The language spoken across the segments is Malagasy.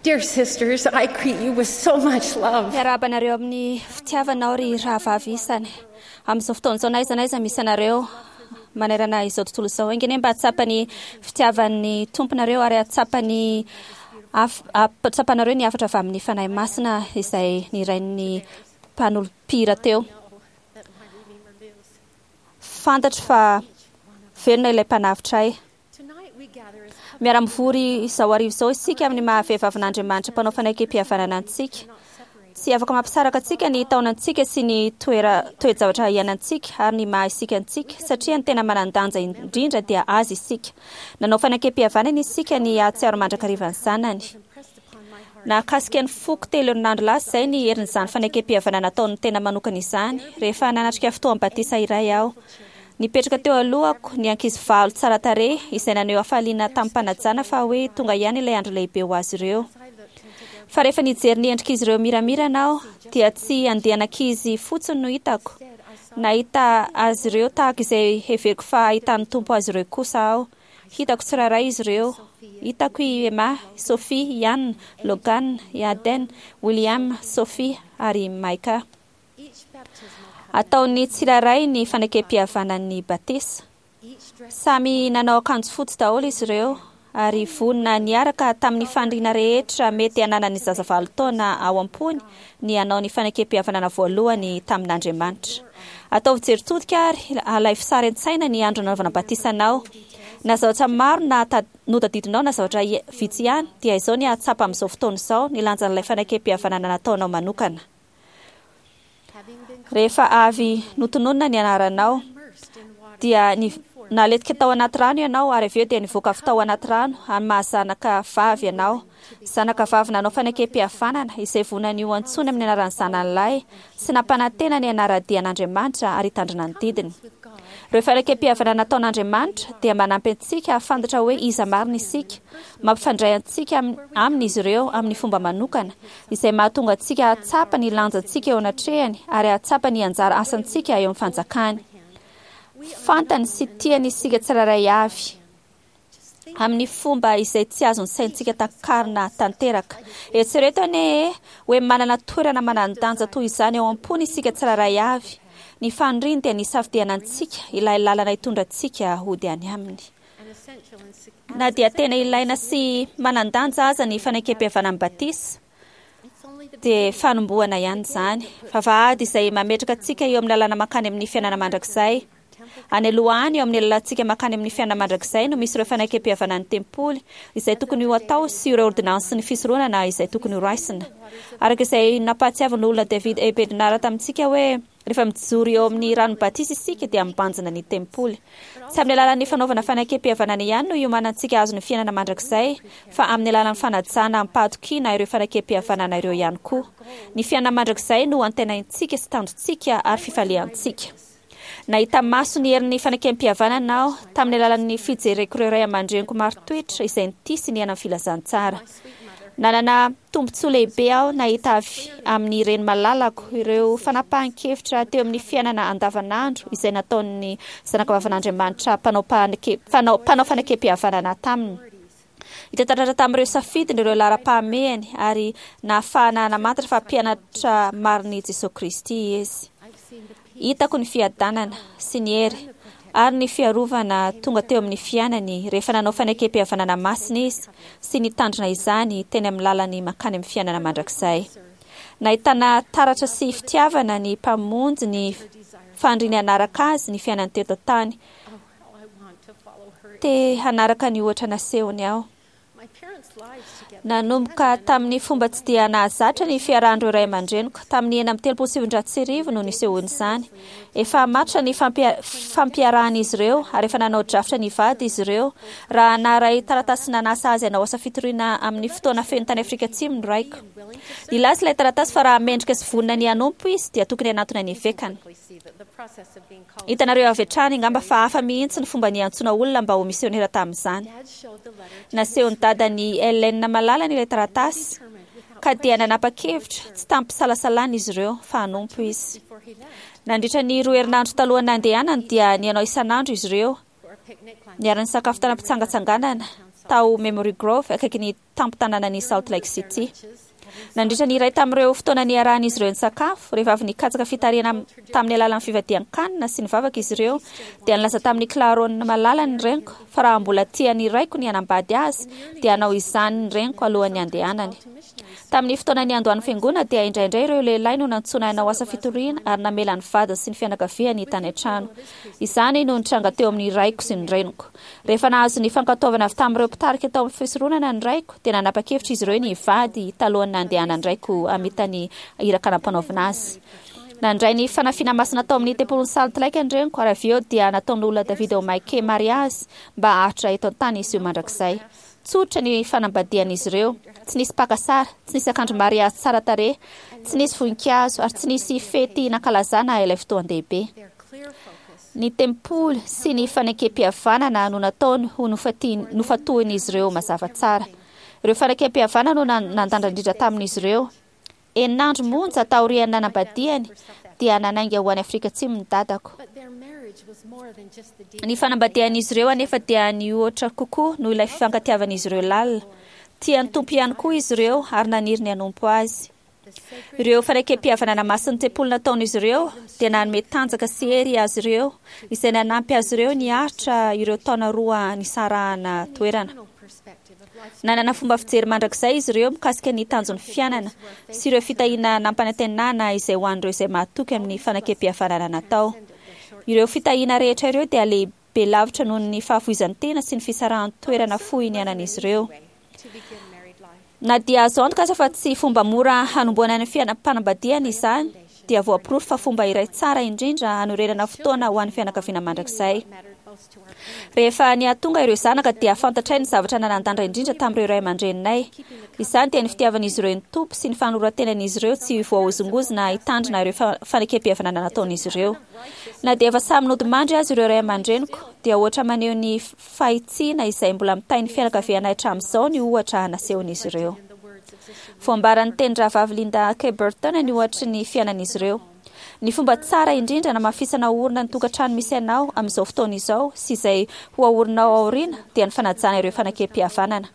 Dear sisters, I greet you with so much love. Miarahaba anareo amin'ny fitiavana aho ry rahavavy isany. Amin'izao fotoana izao na aiza na aiza misy anareo manerana izao tontolo izao. Enga anie mba hahatsapa ny fitiavan'ny Tompo nareo ary hahatsapa ny tsapanareo ny hafatra avy amin'ny Fanahy Masina izay nirain'ny mpanolom-pihira teo. Fantatro fa velona ilay Mpanavotra ahy. Miara-mivory izao hariva izao isika amin'ny maha vehivavin'Andriamanitra mpanao fanekempihavanana antsika. Tsy afaka mampisaraka antsika ny taonantsika sy ny toera toe-javatra iainantsika ary ny maha isika antsika, satria ny tena manan-danja indrindra dia Azy isika. Nanao fanekempihavanana isika ny hahatsiaro mandrakariva ny Zanany. Nahakasika ny foko telo herinandro lasa izay ny herin'izany fanekempihavanana nataon'ny tena manokana izany, rehefa nanatrika fotoam-batisa iray aho. Nipetraka teo alohako ny ankizy valo tsara tarehy izay naneho hafaliana tamim-panajana fa hoe tonga ihany ilay andro lehibe ho azy ireo. Fa rehefa nijery ny endrik'izy ireo miramirana aho, dia tsy andian'ankizy fotsiny no hitako. Nahita azy ireo tahaka izay heveriko fa ahitan'ny Tompo azy ireo kosa aho. Hitako tsirairay izy ireo. Hitako i Emma, i Sophie, i Anna, Logan, i Aden, William, Sophie ary i Micah. Ataon'ny tsirairay ny fanekem-pihavanan'ny batisa. Samy nanao akanjo fotsy daholo izy ireo ary vonona niaraka tamin'ny faniriana rehetra mety hananan'ny zaza valo taona ao am-pony ny hanao ny fanekem-pihavanana voalohany tamin'Andriamanitra. Ataovy jery todika ary alaivo sary an-tsaina ny andro nanaovana batisa anao. Na zavatra maro na notadidinao na zavatra vitsy ihany, dia izao ny hahatsapa amin'izao fotoana izao ny lanjan'ilay fanekem-pihavanana nataonao manokana. Rehefa avy notononina ny anaranao, dia naletika tao anaty rano ianao ary avy eo dia nivoaka avy tao anaty rano amin'ny maha zanaka vavy anao. Zanaka vavy nanao fanekem-pihavanana izay vonany ho antsoina amin'ny anaran'ny zanany lahy sy nampanantena ny hanara-dia an'Andriamanitra ary hitandrina ny didiny. Ireo fanekem-pihavanana nataon'Andriamanitra dia manampy antsika hahafantatra hoe iza marina isika, mampifandray antsika Aminy izy ireo amin'ny fomba manokana, izay mahatonga antsika hahatsapa ny lanjantsika eo anatrehany ary hahatsapa ny anjara asantsika eo amin'ny fanjakany. Fantany sy tiany isika tsirairay avy, amin'ny fomba izay tsy azon'ny saintsika takarina tanteraka. Eritrereto anie e, hoe manana toerana manan-danja toy izany ao am-pony isika tsirairay avy. Ny faniriany dia ny hisafidiana antsika ilay lalana hitondra antsika hody any aminy. Na dia tena ilaina sy manan-danja aza ny fanekem-pihavanan'ny batisa, dia fanombohana ihany izany. Vavahady izay mametraka antsika eo amin'ny lalana mankany amin'ny fiainana mandrakizay. Any aloha any, eo amin'ny lalantsika mankany amin'ny fiainana mandrakizay no misy ireo fanekem-pihavanan'ny tempoly izay tokony ho atao sy ireo ôrdinansin'ny fisoronana izay tokony horaisina. Araka izay nampahatsiavin'ny Loholona David A. Bednar tamintsika hoe, Rehefa mijoro eo amin'ny ranon'ny batisa isika dia mibanjina ny tempoly. Tsy amin'ny alalan'ny fanaovana fanekem-pihavanana ihany no iomanantsika hahazo ny fiainana mandrakizay, fa amin'ny alalan'ny fanajana amim-pahatokiana ireo fanekem-pihavanana ireo ihany koa. Ny fiainana mandrakizay no antenaintsika sy tanjontsika ary fifaliantsika. Nahita maso ny herin'ny fanekem-pihavanana aho tamin'ny alalan'ny fijereko ireo ray aman-dreniko marin-toetra izay nitia sy niaina ny filazantsara. Nanana tombontsoa lehibe aho nahita avy amin'ny reny malalako ireo fanapahan-kevitra teo amin'ny fiainana andavanandro izay nataon'ny zanakavavin'Andriamanitra mpanao mpanao fanekem-pihavanana taminy. Hita taratra tamin'ireo safidiny ireo laharam-pahamehany ary nahafahana namantatra fa mpianatra marin'i Jesoa Kristy izy. Hitako ny fiadanana sy ny hery ary ny fiarovana tonga teo amin'ny fiainany rehefa nanao fanekem-pihavanana masina izy sy nitandrina izany teny amin'ny lalany mankany amin'ny fiainana mandrakizay. Nahitana taratra sy fitiavana ny Mpamonjy ny faniriany hanaraka Azy ny fiainany teto an-tany. Te hanaraka ny ohatra nasehony aho. Nanomboka tamin'ny fomba tsy dia nahazatra ny fiarahan'ireo ray aman-dreniko. Tamin'ny 1936 no nisehoan'izany. Efa matotra ny fampiarahan'izy ireo ary efa nanao drafitra ny hivady izy ireo raha naharay taratasy nanasa azy hanao asa fitoriana amin'ny fotoana feno tany Afrika Atsimo ny raiko. Nilaza ilay taratasy fa raha mendrika sy vonona ny hanompo izy dia tokony hanatona ny evekany. Hitanareo avy hatrany angamba fa hafa mihitsy ny fomba niantsoana olona mba ho misionera tamin'izany. Nasehon'i dadan'i Ellen malalany ilay taratasy, ka dia nanapa-kevitra tsy tamim-pisalasalana izy ireo fa hanompo izy. Nandritra ny roa herinandro talohan'ny nandehanany dia nianao isan'andro izy ireo, niara-nisakafo tany am-pitsangatsanganana. tao Memory Grove, akaikin'ny tampon-tanànan'i Salt Lake City. Nandritra ny iray tamin'ireo fotoana niarahan'izy ireo nisakafo, rehefa avy nikatsaka fitarihana tamin'ny alalan'ny fivadihan-kanina sy ny vavaka izy ireo, dia nilaza tamin'i Claron malalany ny reniko fa raha mbola tian'ny raiko ny hanambady azy, dia hanao izany ny reniko alohan'ny handehanany. Tamin'ny fotoana niandohan'ny Fiangonana dia indraindray ireo lehilahy no nantsoina hanao asa fitoriana ary namela ny vadiny sy ny fianakaviany tany an-trano. Izany no nitranga teo amin'ny raiko sy ny reniko. Rehefa nahazo ny fankatoavana avy tamin'ireo mpitarika tao amin'ny fisoronana ny raiko, dia nanapa-kevitra izy ireo ny hivady talohan'ny nandehanan-draiko hamita ny iraka nampanaovina azy. Nandray ny fanafiana masina tao amin'ny tempolin'i Salt Lake ny reniko ary avy eo dia nataon'olona David O'Mike mariazy mba haharitra eto an-tany izy io mandrakizay. Tsotra ny fanambadian'izy ireo, tsy nisy mpaka sary, tsy nisy akanjo mariazy tsara tarehy, tsy nisy voninkazo ary tsy nisy fety nankalazana ilay fotoan-dehibe. Ny tempoly sy ny fanekempihavanana no nataony ho nofatohin'izy ireo mazava tsara. Ireo fanekempihavanana no nandandra indrindra tamin'izy ireo. Enina andro monja taorian'ny nanambadiany dia nanainga ho any Afrika Atsimo ny dadako. Ny fanambadian'izy ireo anefa dia nihoatra kokoa noho ilay fifankatiavan'izy ireo lalina. Tia ny Tompo ihany koa izy ireo ary naniry ny hanompo Azy. Ireo fanekempihavanana masin'ny tempoly nataon'izy ireo dia nanome tanjaka sy hery azy ireo, izay nanampy azy ireo niaritra ireo taona roa nisarahana toerana. Nanana fomba fijery mandrakizay izy ireo mikasika ny tanjon'ny fiainana sy ireo fitahiana nampanantenana izay ho an'ireo izay mahatoky amin'ny fanekempihavanana natao. Ireo fitahiana rehetra ireo dia lehibe lavitra noho ny fahafoizan-tena sy ny fisarahan-toerana fohy niainan'izy ireo. Na dia azo antoka aza fa tsy fomba mora hanombohana ny fiainam-panambadiana izany, dia voaporofo fa fomba iray tsara indrindra hanorenana fotoana ho an'ny fianakaviana mandrakizay. Rehefa nihatonga ireo zanaka dia fantatray ny zavatra nanan-danja indrindra tamin'ireo ray aman-dreninay. Izany dia ny fitiavan'izy ireo ny Tompo sy ny fanoloran-tenan'izy ireo tsy voahozongozona hitandrina ireo fanekempihavanana nataon'izy ireo. Na dia efa samy nodimandry aza ireo ray aman-dreniko, dia ohatra maneho ny fahitsiana izay mbola mitahy ny fianakavianay hatramin'izao ny ohatra nasehon'izy ireo. Voambaran'ny tenin-drahavavy Linda K. Burton ny ohatry ny fiainan'izy ireo. Ny fomba tsara indrindra hanamafisana orina ny tokantrano misy anao amin'izao fotoana izao sy izay ho aorinao aoriana dia ny fanajana ireo fanekempihavanana.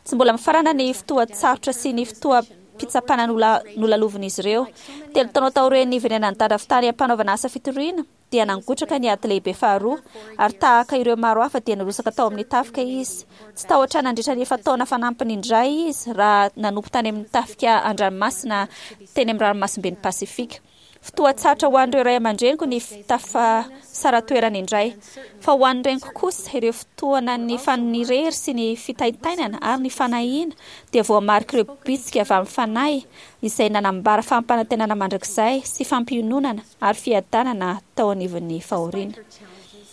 Tsy mbola mifarana ny fotoan-tsarotra sy ny fotoam-pitsapana nolalovin'izy ireo. Telo taona taorian'ny niverenan'i Dada avy tany am-panaovana asa fitoriana, dia nangotraka ny Ady Lehibe Faharoa, ary tahaka ireo maro hafa dia nirotsaka tao amin'ny tafika izy. Tsy tahotra nandritra ny efa-taona fanampiny indray izy raha nanompo tany amin'ny tafika an-dranomasina teny amin'ny Ranomasimben'i Pasifika. Fotoan-tsarotra ho an'ireo ray aman-dreniko ny tafasara-toerana indray. Fa ho an'ny reniko kosa, ireo fotoanan'ny fanirery sy ny fitaintainana ary ny fanahiana dia voamarik'ireo bitsika avy amin'ny Fanahy izay nanambara fampanantenana mandrakizay sy fampiononana ary fiadanana tao anivon'ny fahoriana.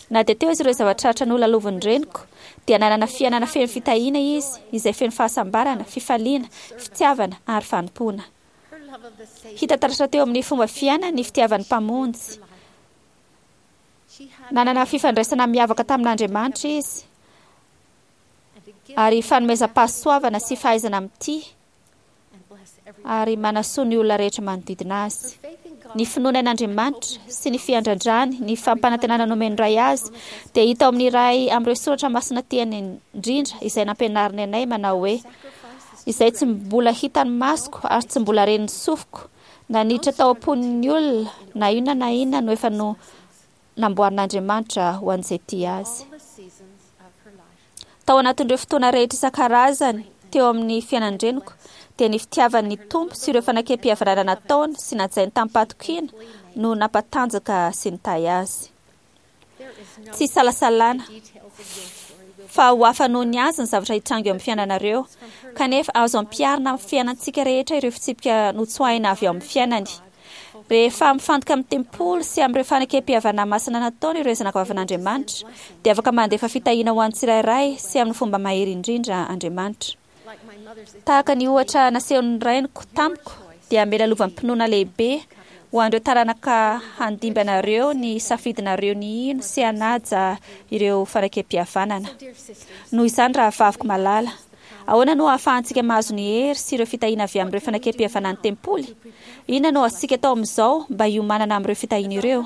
Na dia teo aza ireo zava-tratra nolalovin'ny reniko, dia nanana fiainana feno fitahiana izy, izay feno fahasambarana, fifaliana, fitiavana ary fanompoana. Hita taratra teo amin'ny fomba fiainany ny fitiavan'ny Mpamonjy. Nanana fifandraisana miavaka tamin'Andriamanitra izy, ary fanomezam-pahasoavana sy fahaizana mitia ary manasoa ny olona rehetra manodidina azy. Ny finoany an'Andriamanitra sy ny fiandrandrany ny fampanantenana nomen'ny Ray azy dia hita ao amin'ny iray amin'ireo soratra masina tiany indrindra izay nampianariny anay manao hoe, Izay tsy mbola hitan'ny masoko ary tsy mbola ren'ny sofiko, na niditra tao am-pon'ny olona, na inona na inona no efa no namboarin'Andriamanitra ho an'izay tia azy. Tao anatin'ireo fotoana rehetra isan-karazany teo amin'ny fiainan-dreniko, dia ny fitiavany ny Tompo sy ireo fanekempihavanana nataony sy najainy tamim-pahatokiana no nampatanjaka sy nitahy azy. Tsy isalasalana fa ho hafa noho ny azy ny zavatra hitranga eo amin'ny fiainanareo, kanefa azo ampiharina amin'ny fiainantsika rehetra ireo fitsipika notsoahina avy ao amin'ny fiainany. Rehefa mifantoka amin'ny tempoly sy amin'ireo fanekempihavanana masina nataony ireo zanakavavin'Andriamanitra, dia afaka mandefa fitahiana ho an'ny tsirairay sy amin'ny fomba mahery indrindra Andriamanitra. Tahaka ny ohatra nasehon'ny rainiko tamiko, dia hamela lovam-pinoana lehibe ho an'ireo taranaka handimby anareo ny safidinareo ny hino sy hanaja ireo fanekempihavanana. Noho izany, rahavaviko malala, Ahoana no ahafahantsika mahazo ny hery sy ireo fitahiana avy amin'ireo fanekempihavanan'ny tempoly? Inona no azontsika atao amin'izao mba hiomanana amin'ireo fitahiana ireo?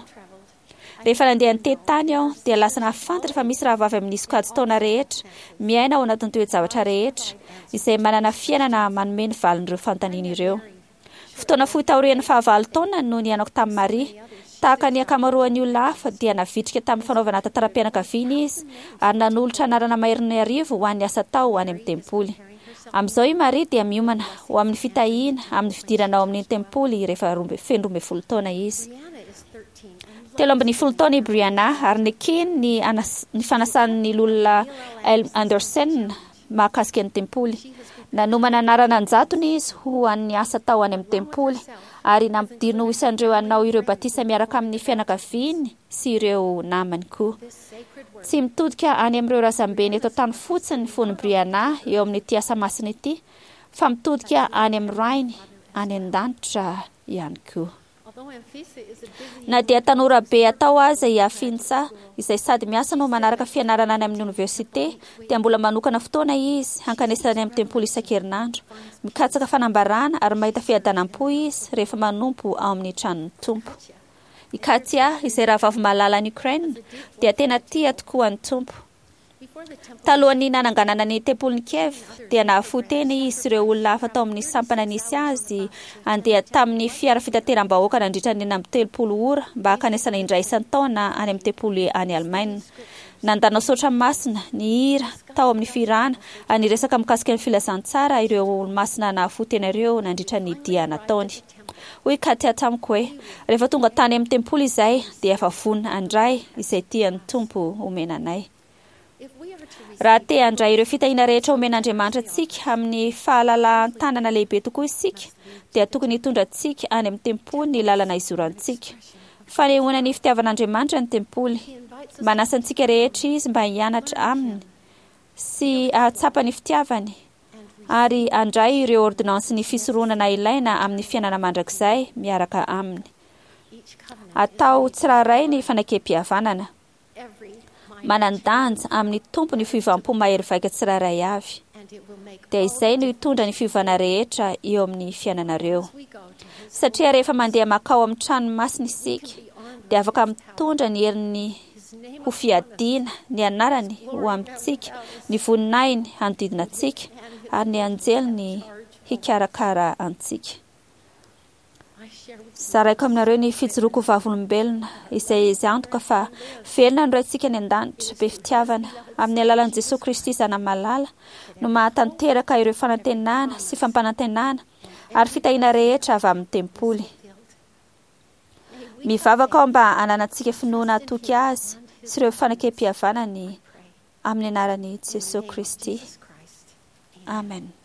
Rehefa nandeha nitety tany aho, dia lasa nahafantatra fa misy rahavavy amin'ny sokajin-taona rehetra, miaina ao anatin'ny toe-javatra rehetra, izay manana fiainana manome ny valin'ireo fanontaniana ireo. Fotoana fohy taorian'ny fahavalo taonany no nihaonako tamin'i Maria. Tahaka ny ankamaroan'ny olona hafa, dia navitrika tamin'ny fanaovana tantaram-pianakaviana izy ary nanolotra anarana maherin'ny arivo ho an'ny asa atao any amin'ny tempoly. Amin'izao i Maria dia miomana ho amin'ny fitahiana amin'ny fidirana ao amin'ny tempoly rehefa feno 12 taona izy. 13 taona i Brianna ary nekeny ny ny fanasan'ny Loholona L. Andersen mahakasika ny tempoly. Nanomana anarana an-jatony izy ho an'ny asa atao any amin'ny tempoly ary nampidiriny ho isan'ireo hanao ireo batisa miaraka amin'ny fianakaviany sy ireo namany koa. Tsy mitodika any amin'ireo razambeny eto an-tany fotsiny ny fon'i Brianna eo amin'ity asa masina ity fa mitodika any amin'ny Rainy any an-danitra ihany koa. Na dia tanora be atao aza i Afintsa, izay sady miasa no manaraka fianarana any amin'ny oniversite, dia mbola manokana fotoana izy hankanesana any amin'ny tempoly isan-kerinandro. Mikatsaka fanambarana ary mahita fiadanam-po izy rehefa manompo ao amin'ny tranon'ny Tompo. I Katya, izay rahavavy malala any Ukraine, dia tena tia tokoa ny Tompo. Talohan'ny nananganana ny tempolin'i Kiev, dia nahafoy tena izy sy ireo olona hafa tao amin'ny sampana nisy azy handeha tamin'ny fiara fitateram-bahoaka nandritra ny 36 ora mba hankanesana indray isan-taona any amin'ny tempoly any Alemaina. Nandana saotra masina, nihira tao amin'ny fihirana, ary niresaka mikasika ny filazantsara ireo olomasina nahafoy tena ireo nandritra ny dia nataony. Hoy Katya tamiko hoe, Rehefa tonga tany amin'ny tempoly izahay, dia efa vonona handray izay tian'ny Tompo homena anay. Raha te handray ireo fitahiana rehetra omen'Andriamanitra antsika amin'ny fahalalahan-tanana lehibe tokoa isika, dia tokony hitondra antsika any amin'ny tempoly ny lalana izorantsika. Fanehoana ny fitiavan'Andriamanitra ny tempoly. Manasa antsika rehetra Izy mba hianatra Aminy sy hahatsapa ny fitiavany ary handray ireo ôrdônansin'ny fisoronana ilaina amin'ny fiainana mandrakizay miaraka Aminy. Atao tsirairay ny fanekempihavanana. Manan-danja amin'ny Tompo ny fiovam-po mahery vaika tsirairay avy. Dia izay no hitondra ny fiovana rehetra eo amin'ny fiainanareo. Satria rehefa mandeha mankao amin'ny trano masina isika, dia afaka mitondra ny herin'ny ho fiadiana, ny anarany ho amintsika, ny voninahiny hanodidina antsika, ary ny anjeliny hikarakara antsika. Zaraiko aminareo ny fijoroako ho vavolombelona, izay izy antoka fa velona ny Raintsika any An-danitra, be fitiavana, amin'ny alalan'i Jesoa Kristy Zanany Malala, no mahatanteraka ireo fanantenana sy fampanantenana ary fitahiana rehetra avy amin'ny tempoly. Mivavaka aho mba hananantsika finoana hatoky Azy sy ireo fanekempihavanany amin'ny anaran'i Jesoa Kristy. Amen.